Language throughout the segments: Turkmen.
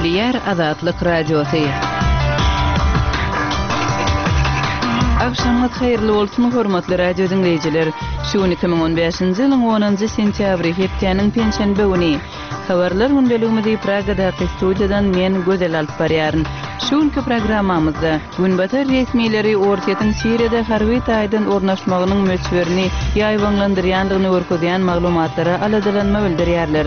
Gepleýär Azatlyk Radiosy. Agşamyňyz haýyrly bolsun, hormatly radio diňleýjiler! Şu gün 2015-nji ýylyň onunjy sentýabry, hepdäniň penşenbe güni. Habarlar gündeligimizi Pragadaky studiýadan men, Gözel alyp barýaryn. Şu günki programmamyzda, Günbatar resmileri Orsýetiň Siriýada harby taýdan ornaşmagynyň möçberini ýaýbaňlandyrýandygyny görkezýän maglumatlara aladalanma bildirýärler.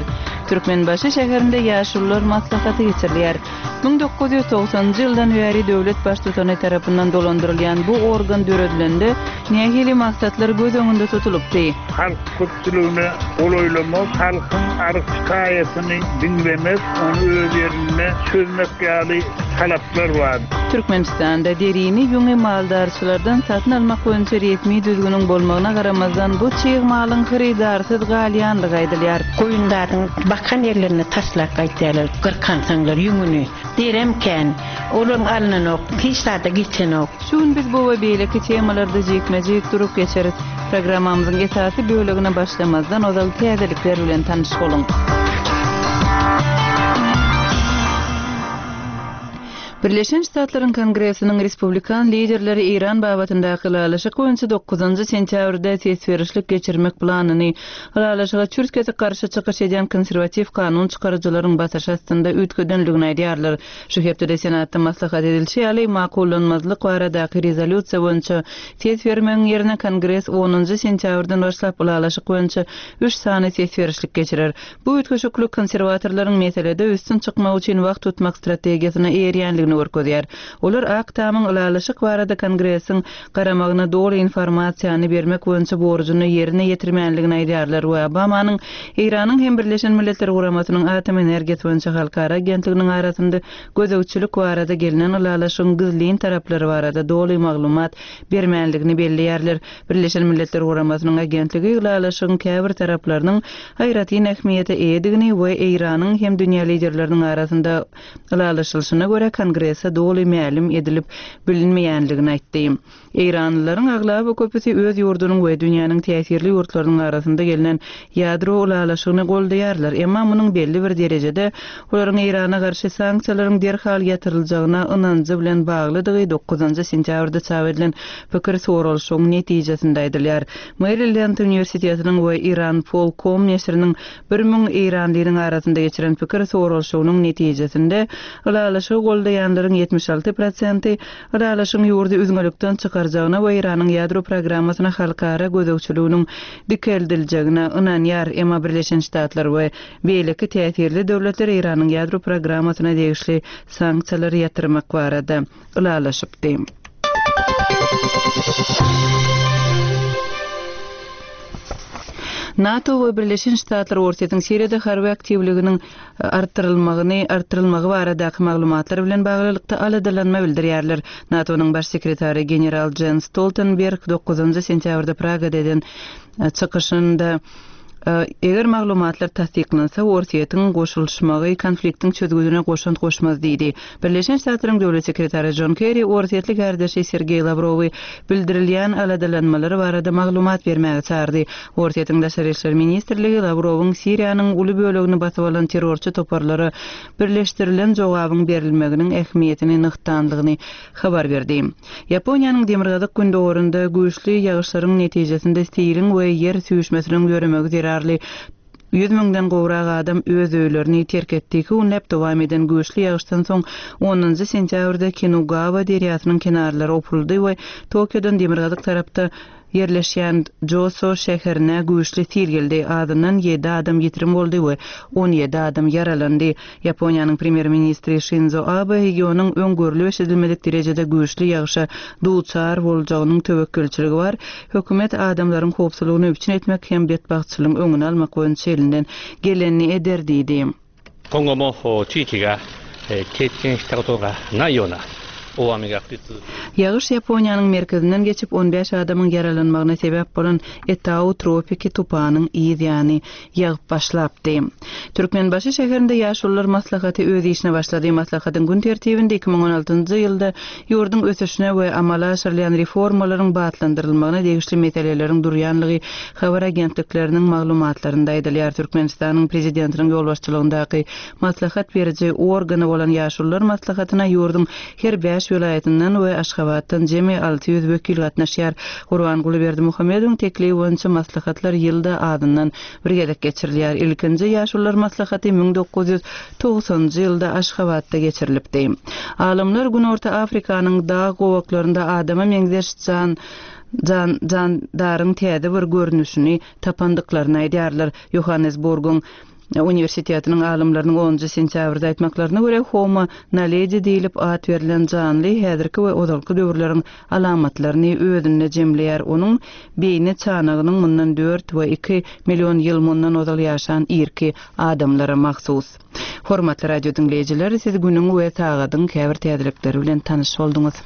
Türkmenbaşy şäherinde Ýaşulular maslahaty geçirilýär. 1990-njy ýyldan bäri döwlet Baştutany tarapyndan dolandyrylýan bu organ döredilende nähili maksatlar göz öňünde tutulypdy? Halk köpçüligine golaýlamak, halkyň arz-şikaýatyny diňlemek, ony öz ýerinde çözmek ýaly talaplar bar. Türkmenistanda derini, ýüňi maldarçylardan satyn almak boýunça resmi düzgüniň bolmagyna garamazdan, bu çig malyň hyrydarsyz galýandygy aýdylýar. Goýun zadyň bakan ýerlerine taşlap gaýtýarlar, gyrkansaňlar ýüňüni. Derem kän. Olam alnanok, hiç zada geçenok. Şu gün biz bu we beýleki temalarda jikme-jik durup geçeris. Programmamyzyň esasy bölegine başlamazdan ozal täzelikler bilen tanyş boluň. Birleşen Ştatlaryň Kongresiniň respublikan liderleri Eýran babatyndaky ylalaşyk boýunça dokuzynjy sentýabrda ses berişlik geçirmek planyny ylalaşyga çürt-kesik garşy çykyş edýän konserwatiw kanun çykaryjylaryň basyşy astynda üýtgedendigini aýdýarlar. Şu hepdede Senatda maslahat edilişi ýaly, makullanmazlyk baradaky rezolýusiýa boýunça ses bermegiň ýerine Kongres onunjy sentýabrdan başlap ylalaşyk boýunça üç sany ses berişlik geçirer. Bu üýtgeşiklik konserwatorlaryň meselede üstün çykmak üçin wagt tutmak strategiýasyna eýerýändigini görkezýär. Olar Ak Tamyň ylalaşyk barada Kongresiň garamagyna doly informasiýany bermek boýunça borjuny ýerine ýetirmänligini aýdýarlar we Obamanyň Eýranyň hem Birleşen Milletler Guramasynyň Atom energiýasy boýunça halkara agentliginiň arasynda gözegçilik barada gelnen ylalaşygyň gizlin taraplary barada doly maglumat bermänligini belleýärler. Birleşen Milletler Guramasynyň agentligi ylalaşygyň käbir taraplarynyň aýratyn ähmiýete eýedigini we Eýranyň hem dünýä liderleriniň arasynda Ylalaşylyşyna görä, Kongrese doly mälim edilip bilinmeýändigini aýtdy. Eýranlylaryň aglaba köpüsi öz ýurdunyň we dünýäniň täsirli ýurtlarynyň arasynda gelnen ýadro ylalaşygyny goldaýarlar, emma munuň belli bir derejede olaryň Eýrana garşy sanksiýalaryň derhal ýatyryljagyna ynanjy bilen baglydygy dokuzynjy sentýabrda çap edilen pikir soralyşygyň netijesinde aýdylýar. Merilend uniwersitetiniň we Iranpol. Com neşiriniň 1000 eýranlynyň arasynda geçiren pikir soralyşygynyň netijesinde, ylalaşygy goldaýanlaryň 76 prosenti ylalaşygyň ýurdy üzňelikden çykarjagyna we Eýranyň ýadro programmasyna halkara gözegçiliginiň dikeldiljegine ynanýar, emma Birleşen Ştatlar we beýleki täsirli döwletler Eýranyň ýadro programmasyna degişli sanksiýalary ýatyrmak barada ylalaşypdy. NATO we Birleşen Ştatlar Orsýetiň Siriýada harby aktiwliginiň artdyrylmagyny artdyrylmagy baradaky maglumatlar bilen baglylykda aladalanma bildirýärler. NATO-nyň Baş sekretary general Jens Stoltenberg dokuzynjy sentýabrda Pragada eden çykyşynda Eger maglumatlar tassyklansa, Orsýetiň goşulyşmagy konfliktiň çözgüdine goşant goşmaz diýdi. Birleşen Ştatlaryň Döwlet sekretary Jon Kerri orsýetli kärdeşi Sergeý Lawrowy bildirilýän aladalanmalar barada maglumat bermäge çagyrdy. Orsýetiň Daşary işler ministrligi Lawrowyň Siriýanyň uly bölegini basyp alan terrorçy toparlara birleşdirilen jogabyň berilmeginiň ähmiýetini nygtandygyny habar berdi. Ýaponiýanyň demirgazyk-gündogarynda güýçli ýagyşlaryň netijesinde siliň we ýer süýşmesiniň döremegi zerarly ýüz müňden gowrak adam öz öýlerini terk etdi. Iki günläp dowam eden güýçli ýagyşdan soň onunjy sentýabrda Kinugawa derýasynyň kenarlary opuryldy we Tokiodan demirgazyk tarapda ýerleşýän Joso şäherine güýçli sil geldi. Azyndan ýedi adam ýitirim boldy we 17 adam ýaralandy. Ýaponiýanyň premýer-ministri Şinzo Abe regionyň öň görlüp-eşidilmedik derejede güýçli ýagyşa duçar boljagynyň töwekgelçiligi bar. Hökümet adamlaryň howpsuzlygyny üpjün etmek hem betbagtçylygyň öňüni almak boýunça elinden gelenini eder diýdi. 今後も地域が経験したことがないような。Ýagyş Ýaponiýanyň merkezinden geçip, on bäş adamyň ýaralanmagyna sebäp bolan Etau tropiki tupanyň yz ýany ýagyp başlapdy. Türkmenbaşy şäherinde Ýaşulular maslahaty öz işine başlady. Maslahatyň gün tertibinde 2016-njy ýylda ýurduň ösüşine we amala aşyrylýan reformalaryň batlandyrylmagyna degişli meseleleriň durýanlygy habar agentlikleriniň maglumatlarynda aýdylýar. Türkmenistanyň Prezidentiniň ýolbaşçylygyndaky maslahat beriji organy bolan Ýaşulular maslahatyna ýurduň her bäş welaýatyndan we Aşgabatdan jemi 600 wekil gatnaşýar. Gurbanguly Berdimuhamedowyň teklibi boýunça maslahatlar ýylda azyndan bir gezek geçirilýär. Ilkinji Ýaşulular maslahaty 1990-njy ýylda Aşgabatda geçirilipdi. Alymlar Günorta Afrikanyň dag gowaklarynda adama meňzeş jan jan jandaryň täze bir görnüşini tapandyklaryny aýdýarlar. Ýohannesburgyň Uniwersitetiniň alymlarynyň onunjy sentýabrda aýtmaklaryna görä, Homo naledi diýlip at berlen janly häzirki we ozalky döwürleriň alamatlaryny özünde jemleýär. Onuň beýni çanagynyň mundan dört we iki million ýyl mundan ozal ýaşan irki adamlara mahsus. Hormatly radio diňleýjiler, siz günüň we sagadyň käbir täzelikleri bilen tanyş bolduňyz.